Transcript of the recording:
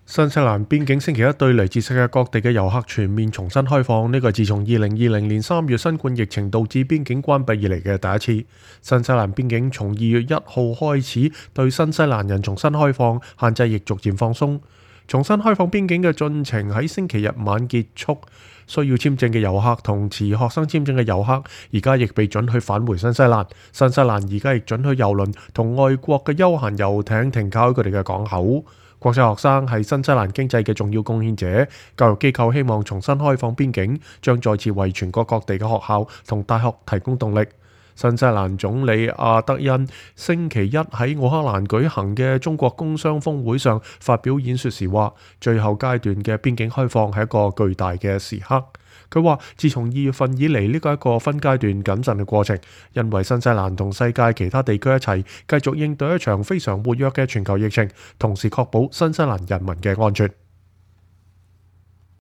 新西蘭邊境星期一對嚟自世界各地嘅遊客全面重新開放，呢個係自從2020年3月新冠疫情導致邊境關閉以嚟嘅第一次。新西蘭邊境從2月1號開始對新西蘭人重新開放，限制亦逐漸放鬆。重新開放邊境嘅進程喺星期日晚結束，需要簽證嘅遊客同持學生簽證嘅遊客而家亦被准許返回新西蘭。新西蘭而家亦准許郵輪同外國嘅休閒遊艇停靠喺佢哋嘅港口。國際學生係新西蘭經濟嘅重要貢獻者，教育機構希望重新開放邊境，將再次為全國各地嘅學校同大學提供動力。新西蘭總理阿德恩星期一喺奧克蘭舉行嘅中國工商峰會上發表演說時話，最後階段嘅邊境開放係一個巨大嘅時刻。佢話自從2月份以嚟，呢個係一個分階段謹慎嘅過程，因為新西蘭同世界其他地區一齊繼續應對一場非常活躍嘅全球疫情，同時確保新西蘭人民嘅安全。